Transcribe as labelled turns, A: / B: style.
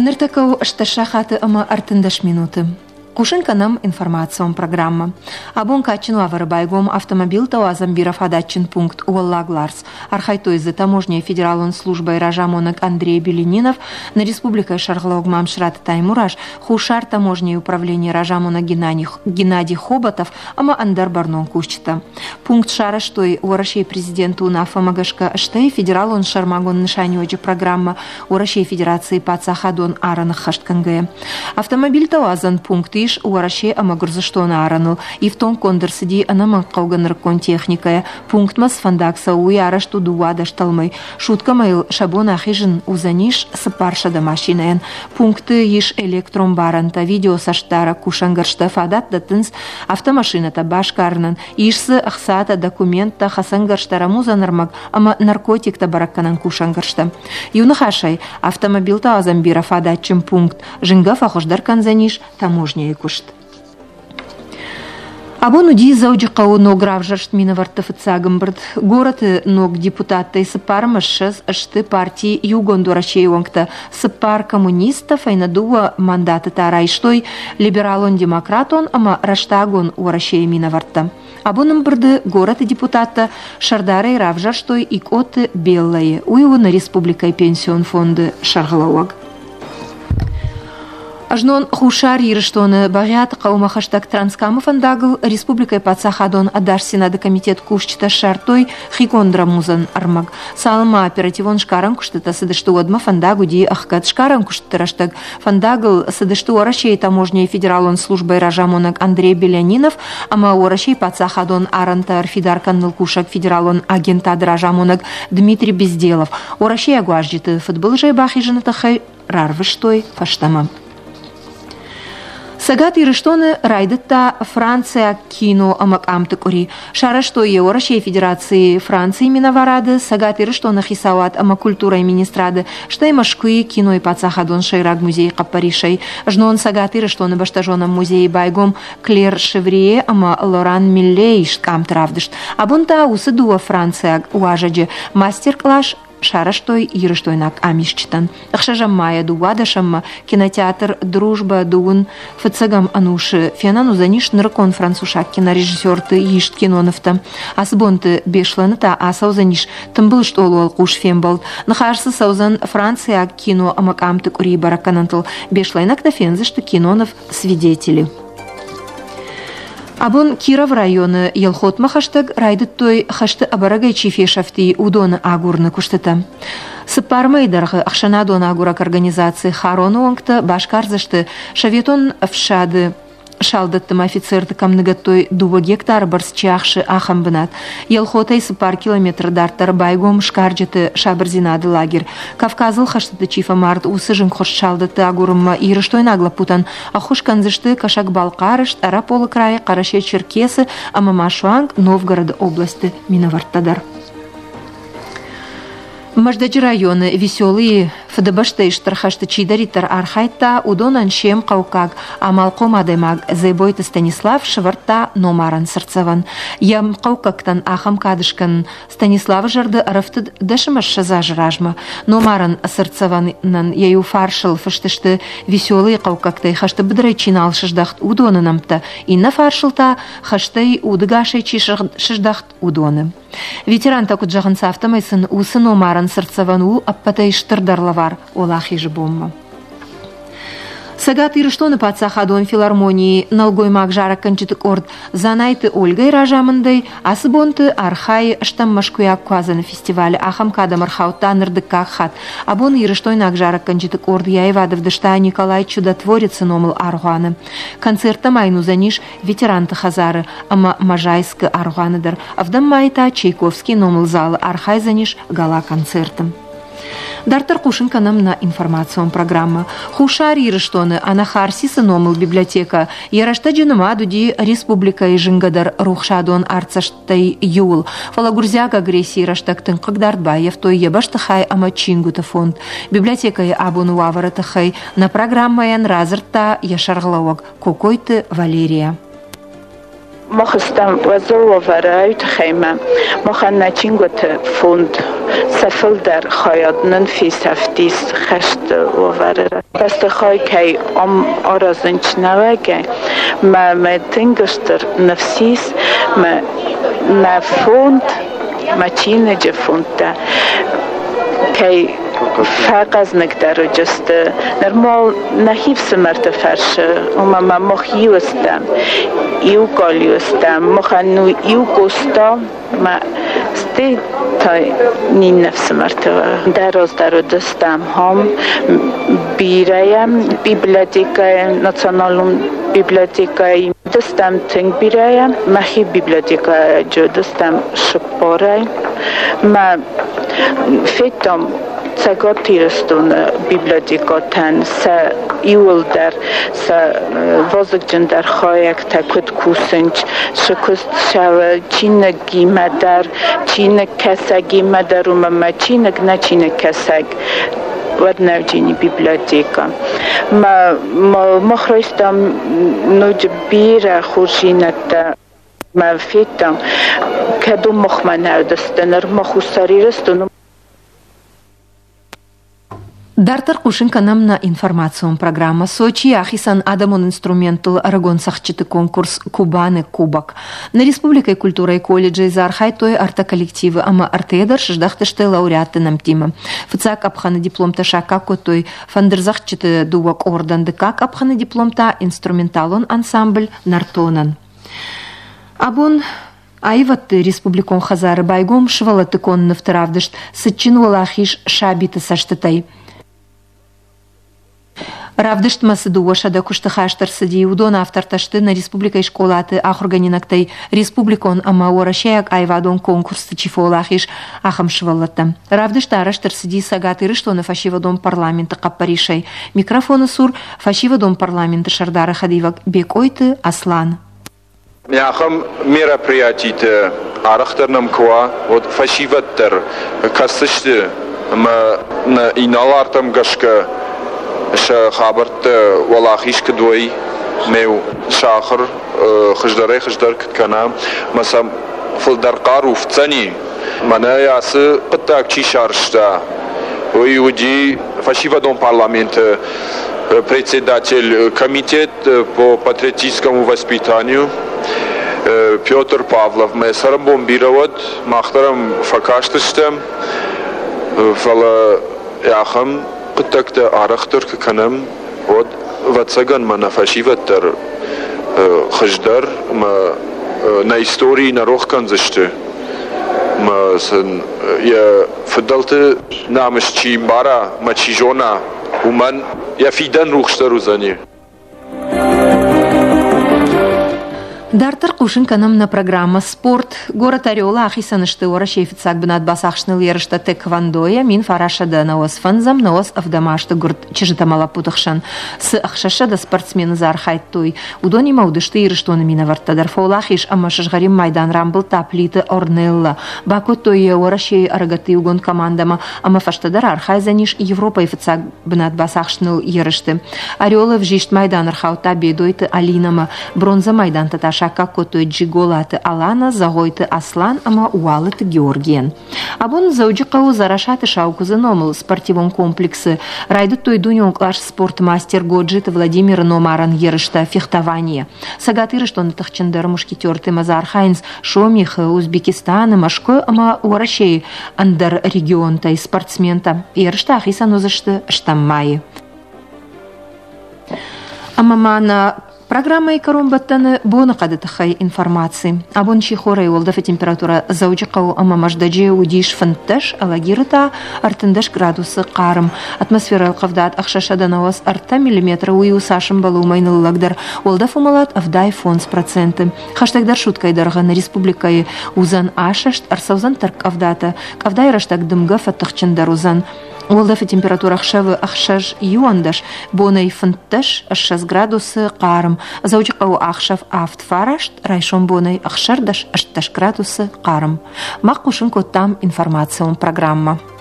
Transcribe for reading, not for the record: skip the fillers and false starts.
A: Ныртӕккӕ у 8 сахаты ӕмӕ 13 минуты. Хъусын кӕнӕм информацион программӕ. Абон кадджын уавӕры байгом автомобилтӕ уадзӕн бирӕфадатджын пункт Уӕллаг Ларс. Архайдтой дзы таможняйы федералон службӕйы разамонӕг Андрей Беленинов, нӕ республикӕйы сӕргълӕууӕг Мамсыраты Таймураз, Хуссар таможняйы управленийы разамонӕг Геннадий Хоботов ӕмӕ ӕндӕр бӕрнон кусджытӕ. Пункт сарӕзтой Уӕрӕсейы президенты уынаффӕмӕ гӕсгӕ, стӕй федералон сӕрмагонд нысаниуӕджы программӕ Уӕрӕсейы Федерацийы паддзахадон арӕн ӕххӕст кӕнгӕйӕ. Автомобильтӕ уадзӕн пункт ис Уӕрӕсе ӕмӕ Гуырдзыстоны арӕныл. Ифтонггонд ӕрцыди ӕнӕмӕнгхъӕугӕ нырыккон техникӕйӕ. Пунктмӕ цы фӕндаг цӕуы, уый арӕзт у 12 тӕлмӕй. Суткӕмӕ йыл сӕ бон ахизын уыдзӕнис 400 машинӕйӕн. Пункты ис электрон барӕнтӕ, видеоцӕстдарӕг кусӕнгӕрзтӕ фадат дӕттынц автомашинӕтӕ басгарынӕн, ис дзы ӕхцатӕ, документтӕ, хӕцӕнгӕрзтӕ, рӕмудзӕн ӕрмӕг ӕмӕ наркотиктӕ бӕрӕггӕнӕн кусӕнгӕрзтӕ. Иу ныхасӕй, автомобилтӕ уадзӕн бирӕфадатджын пункт зынгӕ фӕхуыздӕр кӕндзӕнис таможняйы куыст. Абон уыди Дзӕуджыхъӕуы ног равзӕрст минӕвӕртты фыццаг ӕмбырд. Горӕты ног депутаттӕй 24 сты парти Иугонд Уӕрӕсейы уӕнгтӕ, цыппар коммунисттӕ фӕйнӕ дыууӕ мандаты та райстой либералон-демократон ӕмӕ рӕстагон Уӕрӕсейы минӕвӕрттӕ. Абон ӕмбырды горӕты депутаттӕ сӕрдарӕй равзӕрстой Икъоты Беллӕйы. Уый у нӕ республикӕйы пенсион фонды сӕргълӕууӕг. Знон Хуссар Ирыстоны Бӕгъиаты хъӕумӕ хӕстӕг Транскамы фӕндагыл республикӕйы паддзахадон ӕдасдзинады комитет кусджытӕ ссардтой хиконд рӕмудзӕн ӕрмӕг. Цалынмӕ оперативон сгарӕн куыстытӕ цыдысты, уӕдмӕ фӕндаг уыди ӕхгӕд. Сгарӕн куыстыты рӕстӕг фӕндагыл цыдысты Уӕрӕсейы таможняйы федералон службӕйы разамонӕг Андрей Белянинов ӕмӕ Уӕрӕсейы паддзахадон арӕнтӕ ӕрфидар кӕныныл кусӕг федералон агентады разамонӕг Дмитрий Безделов. Уӕрӕсейаг уазджыты фыдбылызӕй бахизыны тыххӕй рарвыстой фӕстӕмӕ. Цӕгат Ирыстоны райдыдта франциаг кино ӕмӕ къамты къуыри. Сарӕзтой йӕ Уӕрӕсейы Федерацийы Францийы минӕварады, Цӕгат Ирыстоны хицауад ӕмӕ культурӕйы министрады, стӕй Мӕскуыйы кинойы паддзахадон сӕйраг музейы хъӕппӕрисӕй. Знон Цӕгат Ирыстоны бӕстӕзонӕн музейы байгом Клер Шеврие ӕмӕ Лоран Миллейы ист къамты равдыст. Абон та уыцы дыууӕ франциаг уазӕджы мастер-кълас сарӕзтой ирыстойнаг къамисджытӕн. Ӕхсӕзӕм майӕ дыууадӕсӕммӕ кинотеатр «Дружба» дыууын фыццӕгӕм ӕнусы фенӕн уыдзӕнис нырыккон францусаг кинорежиссерты ист кинонывтӕ. Ацы бонты Беслӕны та ацӕудзӕнис тымбыл стъолы уӕлхъус фембӕлд. Ныхас дзы цӕудзӕн франциаг кино ӕмӕ къамты къуырийы бӕрӕггӕнӕнтыл. Беслӕйнӕгтӕ фендзысты киноныв «Свидетели». Абон Кировы районы Елхотмӕ хӕстӕг райдыдтой хӕсты ӕбӕрӕгӕй чи фесӕфти, уыдоны агурыны куыстытӕ. Цыппар мӕйы дӕргъы ӕхсӕнадон агурӕг организаци Хароны уӕнгтӕ басгардзысты Советон ӕфсады салдӕтты ӕмӕ офицерты кӕм ныгӕдтой дыууӕ гектары бӕрц чи ахсы, ахӕм бынат. Елхотӕй цыппар километры дарддӕр байгом сгарджыты сабырдзинады лагерь. Кавказыл хӕстыты чи фӕмард, уыцы зынгхуыст салдӕтты агурынмӕ ирыстойнаг лӕппутӕн ӕххуыс кӕндзысты Кӕсӕг-Балхъары, Стъараполы крайы, Хъӕрӕсе-Черкесы ӕмӕ ма суанг Новгороды областы минӕвӕрттӕ дӕр. Мӕздӕджы районы Веселыйы Фыдыбӕстӕйы Стыр хӕсты чидӕриддӕр архайдта, уыдонӕн се мхъӕуккаг амалхъом адӕймаг Дзебойты Станислав сӕвӕрдта номарӕн цыртдзӕвӕн. Йӕ мхъӕуккӕгтӕн ахӕм кад скӕнын Станиславы зӕрды ӕрӕфтыд 10 азы размӕ. Номарӕн цыртдзӕвӕнӕн йӕ иу фарсыл фыст сты Веселыйы хъӕуккӕгтӕй хӕсты быдырӕй чи нал сыздӕхт, уыдоны нӕмттӕ, иннӕ фарсыл та хӕстӕй удыгасӕй чи сыздӕхт, уыдоны. Ветерантӕ куыд зӕгъынц, афтӕмӕй сын уыцы номарӕн цыртдзӕвӕн у ӕппӕтӕй стырдӕр лӕвар Уӕлахизы бонмӕ. Цӕгат Ирыстоны паддзахадон филармонийы нӕлгоймаг зарӕггӕнджыты къорд Дзанайты Ольгӕйы разамындӕй ацы бонты архайы стӕм мӕскуыйаг куадзӕны фестивалы. Ахӕм кадӕм ӕрхаудта ныр дыккаг хатт. Абон ирыстойнаг зарӕггӕнджыты къорд йӕ аивад ӕвдыста Николай Чудотворецы номыл аргъуаны. Концерттӕ ма йын уыдзӕнис ветеранты хӕдзары ӕмӕ Можайскы аргъуаны дӕр. Ӕвдӕм майы та Чайковскийы номыл залы архайдзӕнис гала-концерты. Дарддӕр хъусын кӕнӕм нӕ информацион программӕ. Хуссар Ирыстоны Анахарсисы номыл библиотекӕ йӕ рӕстӕджы нымад уыди республикӕйы зынгӕдӕр рухсадон артдзӕсттӕй иуыл. Фӕлӕ гуырдзиаг агрессийы рӕстӕг тынг хъыгдард баййӕфтой йӕ бӕстыхай ӕмӕ чингуыты фонд. Библиотекӕйы абоны уавӕры тыххӕй нӕ программӕйӕн радзырдта йӕ сӕргълӕууӕг Кокойты Валерия.
B: Мах стӕм уӕззау уавӕрӕй тыххӕй махӕн нӕ чингуыты фонд. Сӕ фылдӕр хайад нын фесӕфтис хӕсты уавӕры. Бӕстыхай кӕй ам аразынц нӕуӕгӕй, мӕ мӕ тынг стыр ныфс ис, мӕ нӕ фонд, мӕ чиныджы фондтӕ кӕй фӕхъӕзныгдӕр уыдысты. Нырма нӕхи фсымӕрты фӕрсы, ома ма мах иу стӕм, иу галиу стӕм, махӕн иу Къоста ма стӕй та ниннӕ фсымӕрты дӕр раздӕр уыдыстӕм ам бирӕйӕ библиотекӕйы, националон библиотекӕйы уыдыстӕм тынг бирӕйӕ. Мӕхи библиотекӕйы уыдыстӕм цыппарӕй. Мӕ федтам Цӕгат Ирыстоны библиотекӕтӕн сӕ иууылдӕр сӕ вазыгджындӕр хайӕгтӕ куыд кусынц, цы куыст цӕуы чиныгимӕ дӕр, чиныгкӕсӕгимӕ дӕр, уымӕ мӕ чиныг нӕ чиныгкӕсӕг уӕд нӕуджини библиотекӕ. Мах райстам ноджы бирӕ хорздзинӕдтӕ. Мӕ федтам, кӕд уым махмӕ нӕ уыдысты, ныр ма Хуссар Ирыстоны.
A: Дарддӕр хъусын кӕнӕм нӕ информацион программӕ. Сочийы ахицӕн адӕмон инструменттыл ӕрыгон цӕгъдджыты конкурс «Кубаны кубок». Нӕ республикӕйы культурӕйы колледжы дзы архайдтой ӕртӕ коллективы ӕмӕ ӕртӕйӕ дӕр сыздӕхтысты лауреатты нӕмттимӕ. Фыццаг къӕпхӕны дипломтӕ саккаг кодтой фӕндырдзӕгъдджыты дыууӕ къордӕн, дыккаг къӕпхӕны диплом та инструменталон ансамбль «Нӕртонӕн». Абон Аивӕдты республикон хӕдзары байгом сывӕллӕтты конд нывты равдыст «Цытджын уӕлахиз сабиты цӕстытӕй». Равдыстмӕ цы 200 куысты хаст ӕрцыди, уыдон автортӕ сты нӕ республикӕйы скъолаты ахуыргӕнинӕгтӕй республикон ӕмӕ уӕрӕсейаг аивадон конкурсты чи фӕуӕлахиз, ахӕм сывӕллӕттӕ. Равдыст арӕзт ӕрцыди Цӕгат Ирыстоны фӕсивӕдон парламенты хъӕппӕрисӕй. Микрофоны цур фӕсивӕдон парламенты сӕрдары хӕдивӕг Бекъойты Аслан.
C: Ахӕм мероприятиты арӕхдӕр нӕм куы уа, уӕд фӕсивӕд дӕр кӕсдзысты ӕмӕ нӕ инӕлартӕм гӕсгӕ сӕ хабӕрттӕ уӕлахиз куыд уой, ме сӕ ахуыр хуыздӕрӕй-хуыздӕр куыд кӕна, ӕмӕ сӕм фылдӕр хъару фтдзӕни. Мӕнӕ ацы хъуыддаг чи сарӕзта, уый уыди фӕсивӕдон парламенты председатель комитет по патриотическому воспитанию Петр Павлов. Мӕ цӕрӕнбон бирӕ уӕд, мах дӕр ӕм фӕкастыстӕм, фӕлӕ ахӕм хъуыддӕгтӕ арӕхдӕр куы кӕнӕм, уӕд, ӕвӕццӕгӕн, мӕнӕ фӕсивӕд дӕр хуыздӕр ӕмӕ нӕ историйы нӕ рох кӕндзысты. Ӕмӕ сын йӕ фыдӕлты намыс чи мбара ӕмӕ чи зона, уымӕн йӕ фидӕн рухсдӕр уыдзӕни.
A: Дарддӕр хъусын кӕнӕм нӕ программӕ «Спорт». Горӕт Орелы ахицӕн сты Уӕрӕсейы фыццаг бынат бацахсыныл ерыстӕ тэквондойӕ 1995 97 азты гуырд чызджытӕ ӕмӕ лӕппуты хсӕн. Цы 600 спортсмены дзы архайдтой, уыдонимӕ уыдысты Ирыстоны минӕвӕрттӕ дӕр. Фӕуӕлахиз ӕмӕ сызгъӕрин майдан рамбылдта Плиты Орнелла. Бакодтой йӕ Уӕрӕсейы ӕрыгӕтты иугонд командӕмӕ ӕмӕ фӕстӕдӕр архайдзӕнис Европӕйы фыццаг бынат бацахсыныл ерысты. Орелы ӕвзист майдан ӕрхаудта Бедойты Алинӕмӕ. Бронзӕ майдантӕ та саккаг кодтой Джиголаты Алана, Зӕгъойты Аслан ӕмӕ Уалыты Георгийӕн. Абон Дзӕуджыхъӕуы Дзарасаты Саукуыдзы номыл спортивон комплексы райдыдтой дунеон кълас спорты мастер Годжиты Владимиры номарӕн ерыстӕ фехтованийӕ. Цӕгат Ирыстоны тыхджындӕр мушкетертимӕ дзы архайынц Сомихы, Узбекистаны, Мӕскуы ӕмӕ Уӕрӕсейы ӕндӕр регионтӕй спортсментӕ. Ерыстӕ ахицӕн уыдзысты стӕм майы. Ӕмӕ ма нӕ программӕйы кӕронбӕттӕны боныхъӕды тыххӕй информаци. Абон сихорӕй уӕлдӕфы температурӕ Дзӕуджыхъӕуы ӕмӕ Мӕздӕджы уыдис 15, Алагиры та 13 градусы хъарм. Атмосферӕйы ӕлхъывдад 693 миллиметры, уый у цас ӕмбӕлы, уымӕй ныллӕгдӕр. Уӕлдӕф уымӕлад 75%. Хӕстӕгдӕр суткӕйы дӕргъы нӕ республикӕйы уыдзӕн асӕст, ӕрцӕудзӕн тӕрккъӕвдатӕ. Къӕвдайы рӕстӕг дымгӕ фӕтыхджындӕр уыдзӕн. Уӕлдӕфы температурӕ ӕхсӕвы 6 21, бонӕй 15 20 градусы хъарм. Дзӕуджыхъӕуы ӕхсӕв 7 9, райсом бонӕй 16 18 градусы хъарм. Мах хъусын кодтам информацион программӕ.